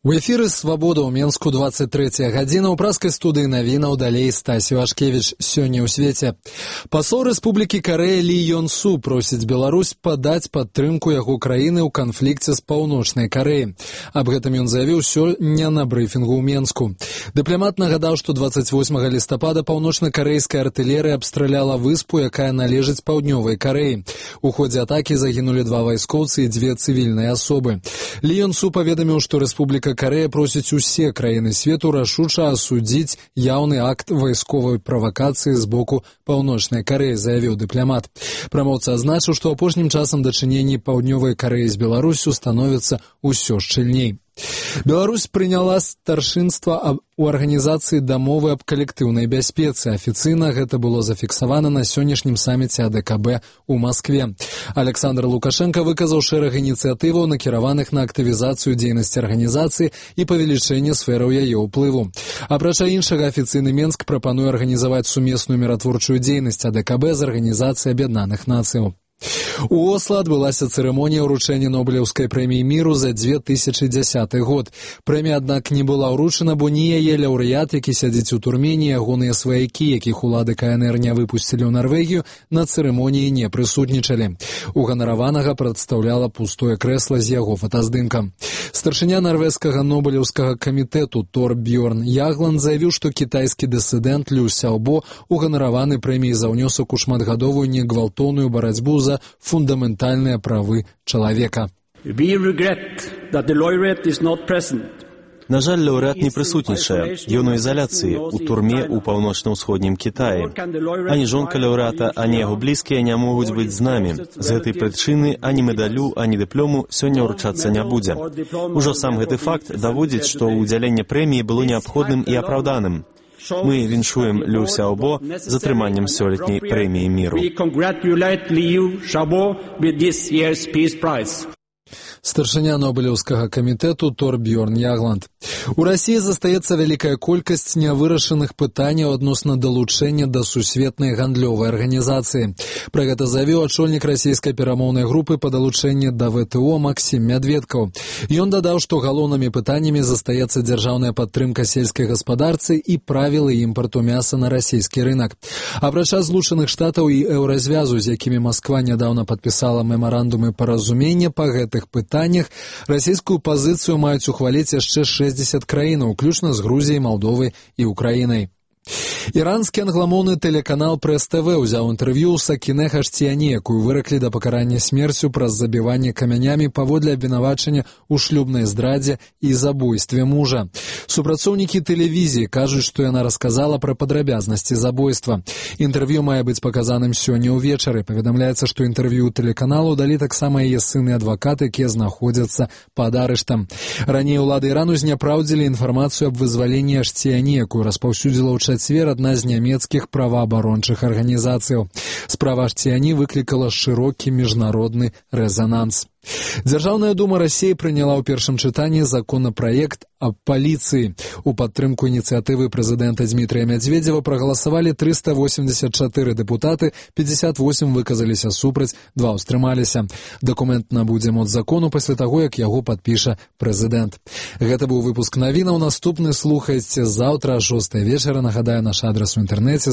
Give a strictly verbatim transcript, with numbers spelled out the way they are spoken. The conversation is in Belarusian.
У эфіры «Свабода» ў Менску двадцать третья гадзіна. У праскай студыі навінаў далей Стасі Вашкевіч. Сёння ў свеце. Пасол Рэспублікі Карэя Лі Ён Су просіць Беларусь падаць падтрымку яго краіны ў канфлікце з Паўночнай Карэяй. Аб гэтым ён заявіў сёння на брыфінгу ў Менску. Дыпламат нагадаў, што двадцать восьмага лістапада паўночна-карэйская артылерыя абстраляла выспу, якая належыць Паўднёвай Карэі. У ходзе атакі загінулі два вайскоўцы і дзве цывільныя асобы. Лі Ён Су паведаміў, што Рэспубліка Карэя просіць усе краіны свету рашуча асудзіць яўны акт вайсковай правакацыі з боку Паўночнай Карэі, заявіў дыпламат. Прамоўца адзначыў, што апошнім часам дачыненні Паўднёвай Карэі з Беларусю становяцца ўсё шчыльней. Беларусь прыняла старшынства у арганізацыі дамовы аб калектыўнай бяспецы. Афіцыйна гэта было зафіксавана на сённяшнім саміце А Дэ Ка Бэ ў Маскве. Александр Лукашенко выказаў шэраг ініцыятываў, накіраваных на актывізацыю дзейнасці арганізацыі і павелічэнне сфераў яе ўплыву. Апрача іншага, афіцыйны Менск прапануе арганізаваць сумесную міратворчую дзейнасць А Дэ Ка Бэ з арганізацыяй Аб'яднаных Нацыяў. У Осло адбылася цырымонія ўручэння Нобелеўскай прэміі міру за две тысячы дзясяты год. Прэмія, аднак, не была ўручана, бо ні яе лаўрэат, які сядзіць у турме, ні ягоныя сваякі, якіх улады Ка Эн Эр не выпусцілі ў Нарвегію, на цырымоніі не прысутнічалі. У ганараванага прадстаўляла пустое крэсла з яго фотаздымкам. Старшыня нарвежскага Нобелеўскага камітэту Торбьёрн Ягланд заявіў, што кітайскі дысідэнт Лю Сяобо уганараваны прэміяй за ўнёсак у шматгадовую негвалтоўную барацьбу за фундаментальныя правы чалавека. На жаль, лаўрэат не прысутнічае. Ён у ізаляцыі, у турме ў паўночна-ўсходнім Кітаі. Ані жонка лаўрэата, ані яго блізкія не могуць быць з намі. З гэтай прычыны ані медалю, ані дыплому сёння ўручацца не будзе. Ужо сам гэты факт даводзіць, што ўдзяленне прэміі было неабходным і апраўданым. Мы віншуем Лю Сяобо з атрыманнем сёлетняй прэміі міру. Старшыня Нобелеўскага камітэту Торбьёрн Ягланд. У Расіі застаецца вялікая колькасць нявырашаных пытанняў адносна далучэння да сусветнай гандлёвай арганізацыі. Пра гэта заявіў ачольнік расійскай перамоўнай групы па далучэнні да Вэ Тэ О Максім Мядведкаў. Ён дадаў, што галоўнымі пытаннямі застаецца дзяржаўная падтрымка сельскай гаспадарцы і правілы імпарту мяса на расійскі рынак. Апрача Злучаных Штатаў і Еўразвязу, з якімі Масква нядаўна падпісала мемарандумы паразумення па гэтых пытаннях, расійскую пазіцыю маюць ухваліць яшчэ шэсцьдзесят краінаў, уключна з Грузіяй, Малдовай і Украінай. Іранскі англамоўны тэлеканал Прэс Тэ Вэ ўзяў інтэрв'ю ў Сакінэ Хаштіяні, якую выраклі да пакарання смерцю праз забіванне камянямі паводле абвінавачання ў шлюбнай здрадзе і забойстве мужа. Супрацоўнікі тэлевізіі кажуць, што яна расказала пра падрабязнасці забойства. Інтэрв'ю мае быць паказаным сёння ўвечары. Паведамляецца, што інтэрв'ю тэлеканалу далі таксама яе сын і адвакат, якія знаходзяцца пад арыштам. Раней улады Ірану зняпраўдзілі інфармацыю аб вызваленні Хаштіяні, якую распаўсюдзіла ў чацвер адна з нямецкіх праваабарончых арганізацыяў. Справа Хаштіяні выклікала шырокі міжнародны рэзананс. Дзяржаўная дума Расіі прыняла ў першым чытанні законапраект аб паліцыі. У падтрымку ініцыятывы прэзідэнта Дзмітрыя Мядзведзева прагаласавалі трыста восемьдесят чатыры дэпутаты, пятьдесят восемь выказаліся супраць, два ўстрымаліся. Дакумент набудзе моц закону пасля таго, як яго падпіша прэзідэнт. Гэта быў выпуск навінаў. Наступны слухайце заўтра о шостай вечара. Нагадаю, наш адрас у інтэрнэце